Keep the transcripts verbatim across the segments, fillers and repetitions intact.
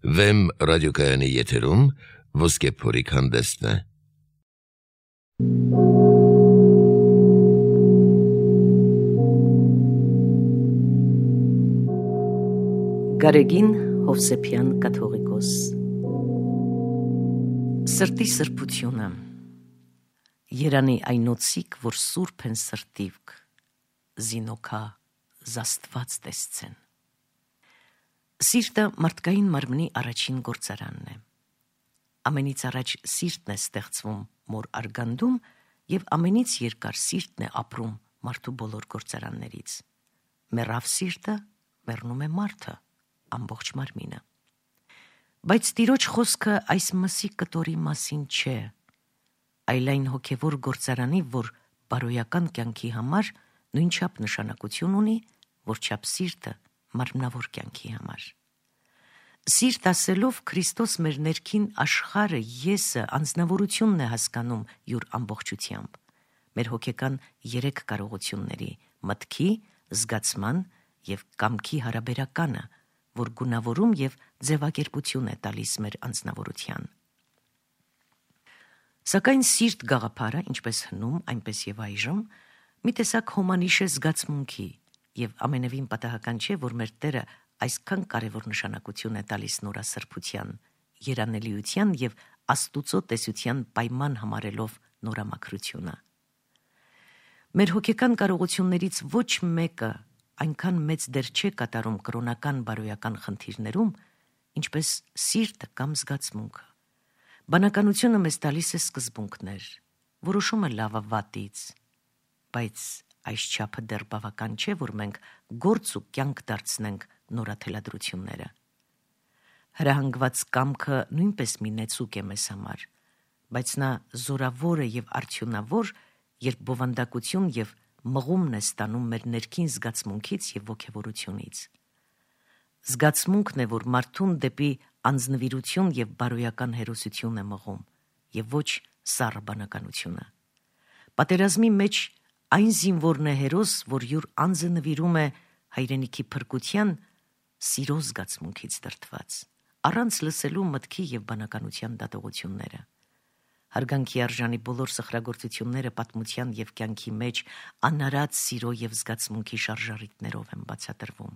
Վեմ ռադիոկայանի եթերում ոսկե փորիկ հանդեսն է։ Գարեգին Հովսեփյան կաթողիկոս։ Սրտի սրբությունը Երանի այնոցիկ, որ սուրբ են սրտիվք, զինոքա զաստված տեսցեն։ Սիրտը մարդկային մարմնի առաջին գործարանն է։ Ամենից առաջ սիրտն է ստեղծվում մոր արգանդում և ամենից երկար սիրտն է ապրում մարդու բոլոր գործարաններից։ Մեռավ սիրտը, մեռնում է մարդը, ամբողջ մարմինը։ Բայց Տիրոջ խոսքը այս մսի կտորի մասին չէ, այլ այն հոգևոր գործարանի, որ բարոյական կյանքի համար նույնչափ նշանակություն ունի, որչափ սիրտը մարմնավոր կյանքի համար։ Սիրտ ասելով Քրիստոս մեր ներքին աշխարհը, եսը, անձնավորությունն է հասկանում յուր ամբողջությամբ, մեր հոգեկան երեք կարողությունների՝ մտքի, զգացման և կամքի հարաբերականը, որ գունավորում և ձևակերպություն է տալիս մեր անձնավորության։ Սակայն սիրտ գաղափարը, ինչպես հնում, այնպես և այժմ, մի տեսակ հոմանիշ է զգացմունքի, և ամենևին պատահական չէ, որ մեր Տերը այսքան կարևոր նշանակություն է տալիս նորասրբության, երանելիության և Աստուծո տեսության պայման համարելով նորամաքրությունը։ Մեր հոգեկան կարողություններից ոչ մեկը այնքան մեծ դեր չէ կատարում կրոնական բարոյական խնդիրներում, ինչպես սիրտը կամ զգացմունքը։ Բանականությունը մեզ տալիս է սկզբունքներ, որոշումը լավը վատից, բայց այս չափը դեռ բավական չէ, որ մենք գործ ու կյանք դարձնենք նորաթելադրությունները։ Հրահանգված կամքը նույնպես մի նեցուկ է մեզ համար, բայց նա զորավոր է և արդյունավոր, երբ բովանդակություն և մղումն է ստանում մեր ներքին զգացմունքից և ոգևորությունից։ Զգացմունքն է, որ մարդուն դեպի անձնվիրություն և բարոյական հերոսություն է մղում, և ոչ սառը բանականությունը։ Պատերազմի մեջ այն զինվորն է հերոս, որ յուր անձը նվիրում է հայրենիքի փրկության, սիրո զգացմունքից դրդված, առանց լսելու մտքի և բանականության դատողությունները։ Հարգանքի արժանի բոլոր սխրագործությունները պատմության և կյանքի մեջ անարատ սիրո և զգացմունքի շարժառիթներով են բացատրվում։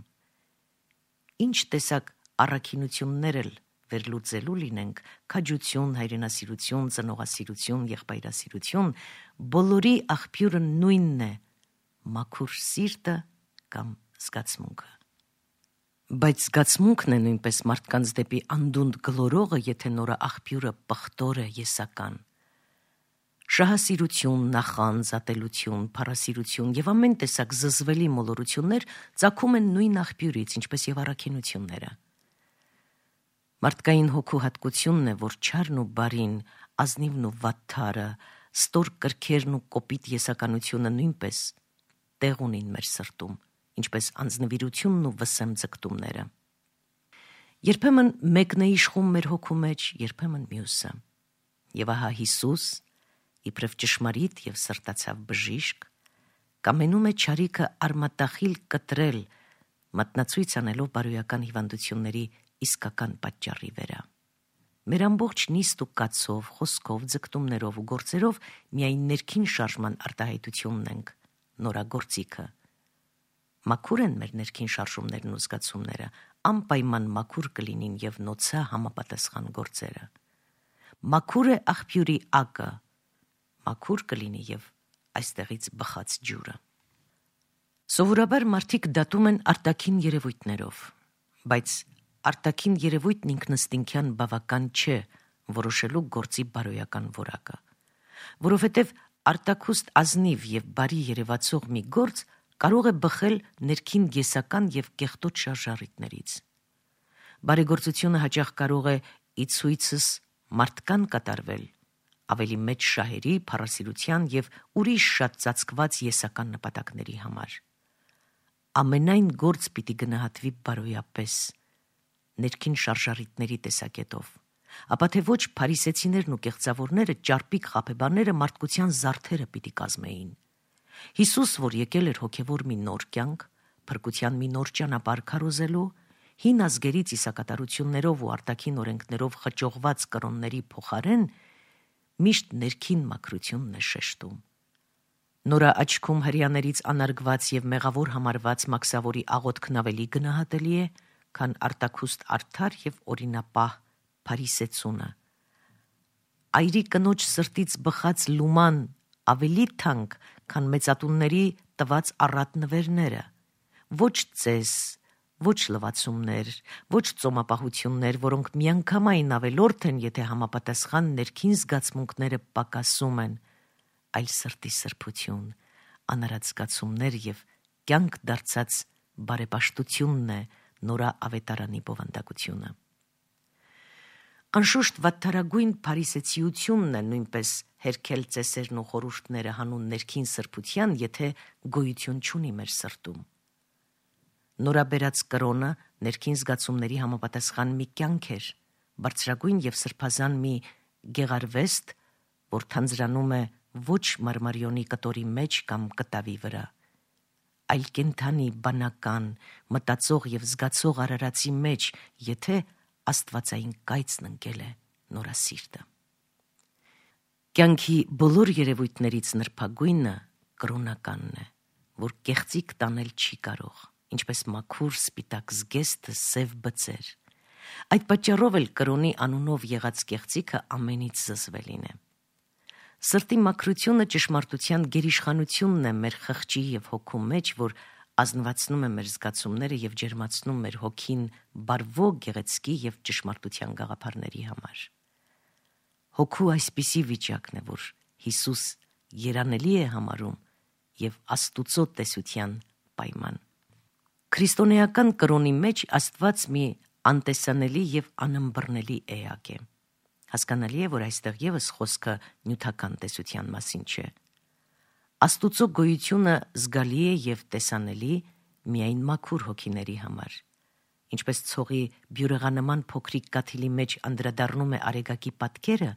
Ինչ տեսակ առաքինություններ էլ վերլուծելու լինենք՝ քաջություն, հայրենասիրություն, ծնողասիրություն, եղբայրասիրություն, բոլորի աղբյուրը նույնն է՝ մաքուր սիրտը կամ զգացմունքը։ Բայց զգացմունքն է նույնպես մարդկանց դեպի անդունդ գլորողը, եթե նորը աղբյուրը պղտոր է, եսական։ Շահասիրություն, նախանձ, ատելություն, փառասիրություն և ամեն տեսակ զզվելի մոլորություններ ծագում են նույն աղբյուրից, ինչպես և առաքինությունները։ Մարդկային հոգու հատկությունն է, որ չարն ու բարին, ազնիվն ու վատթարը, ստոր կրքերն ու կոպիտ եսականությունը նույնպես տեղ ունին մեր սրտում, ինչպես անձնվիրությունն ու վսեմ ձգտումները։ Երբեմն մեկն է իշխում մեր հոգու մեջ, երբեմն մյուսը։ Եվ ահա Հիսուս, իբրև ճշմարիտ և սրտացավ բժիշկ, կամենում է չարիքը արմատախիլ կտրել, մատնացույց անելով բարոյական հիվանդությունների իսկական պատճառի վրա։ Մեր ամբողջ նիստ ու կացով, խոսքով, ձգտումներով ու գործերով միայն ներքին շարժման արտահայտությունն ենք, նորագործիքը։ Մաքուր են մեր ներքին շարժումներն ու զգացումները, անպայման մաքուր կլինին և նոցա համապատասխան գործերը։ Մաքուր է աղբյուրի ակը, մաքուր կլինի և այստեղից բխած ջուրը։ Սովորաբար մարդիկ դատում են արտաքին երևույթներով, բայց արտաքին երևույթն ինքնըստինքյան բավական չէ որոշելու գործի բարոյական որակը, որովհետև արտաքուստ ազնիվ և բարի երևացող մի գործ կարող է բխել ներքին եսական և կեղտոտ շարժառիթներից։ Բարեգործությունը հաճախ կարող է ի ցույցս մարդկան կատարվել, ավելի մեծ շահերի, փառասիրության և ուրիշ շատ ծածկված եսական նպատակների համար։ Ամենայն գործ պիտի գնահատվի բարոյապես, ներքին շարժառիթների տեսակետով, ապա թե ոչ փարիսեցիներն ու կեղծավորները, ճարպիկ խաբեբաները մարդկության զարդերը պիտի կազմեին։ Հիսուս, որ եկել էր հոգևոր մի նոր կյանք, փրկության մի նոր ճանապարհ քարոզելու, հին ազգերի ծիսակատարություններով ու արտաքին օրենքներով խճողված կրոնների փոխարեն միշտ ներքին մաքրությունն է շեշտում։ Նորա աչքում հրեաներից անարգված եւ մեղավոր համարված մաքսավորի աղոթքն ավելի գնահատելի է, քան արտաքուստ արդար եւ օրինապահ փարիսեցունը։ Այրի կնոջ սրտից բխած լուման ավելի թանկ, քան մեծատունների տված առատ նվերները։ Ոչ ծես, ոչ լվացումներ, ոչ ծոմապահություններ, որոնք միանգամայն ավելորդ են, եթե համապատասխան ներքին զգացմունքները պակասում են, այլ սրտի սրբություն, անարած զգացումներ եւ կյանք դարձած բարեպաշտությունն է նորա ավետարանի բովանդակությունը։ Անշուշտ վատթարագույն փարիսեցիությունն է նույնպես հերքել ծեսերն ու խորհուրդները հանուն ներքին սրբության, եթե գոյություն չունի մեր սրտում։ Նորա բերած կրոնը ներքին զգացումների համապատասխան մի կյանք էր, բարձրագույն եւ սրբազան մի գեղարվեստ, որ թանձրանում է ոչ մարմարիոնի կտորի մեջ կամ կտավի վրա, այլ կենթանի, բանական, մտածող եւ զգացող արարածի մեջ, եթե աստվածային կայծն ընկել է նորա սիրտը։ Կյանքի բոլոր երևույթներից նրբագույնը կրոնականն է, որ կեղծիք տանել չի կարող, ինչպես մաքուր սպիտակ զգեստը սև բծեր։ Այդ պատճառով էլ կրոնի անունով եղած կեղծիքը ամենից զզվելին է։ Սրտի մաքրությունը ճշմարտության գերիշխանությունն է մեր խղճի եւ հոգու մեջ, որ ազնվացնում է մեր զգացումները եւ ջերմացնում մեր հոգին բարվո գեղեցկի եւ ճշմարտության գաղափարների համար։ Հոգու այսպիսի վիճակն է, որ Հիսուս երանելի է համարում եւ Աստուծո տեսության պայման։ Քրիստոնեական կրոնի մեջ Աստված մի անտեսանելի եւ անըմբռնելի էակ է։ Հասկանալի է, որ այստեղ եւս խոսքը նյութական տեսության մասին չէ։ Աստուծո գոյությունը զգալի է եւ տեսանելի միայն մաքուր հոգիների համար։ Ինչպես ցողի բյուրեղանման փոքրիկ կաթիլի մեջ անդրադառնում է արեգակի պատկերը,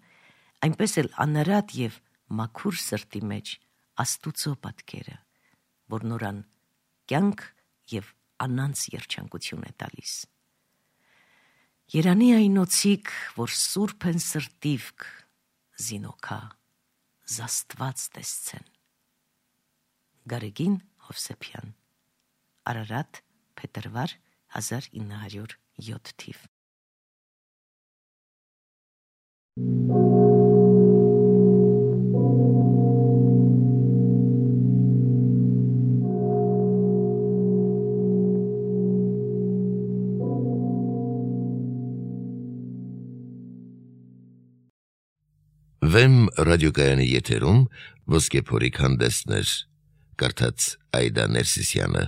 այնպես էլ անարատ եւ մաքուր սրտի մեջ Աստուծո պատկերը, որ նորան կյանք եւ անանց երջանկություն է տալիս։ Երանի այնոցիկ, որ սուրբ են սրտիվք, զինոքա, զաստված տեսցեն։ Գարեգին Հովսեփյան, Արարատ, փետրվար հազար ինը հարյուր յոթ թիվ։ Վեմ ռադիոկայանի եթերում ոսկե փորիկ հանդեսներ, կարդաց Այդա Ներսիսյանը։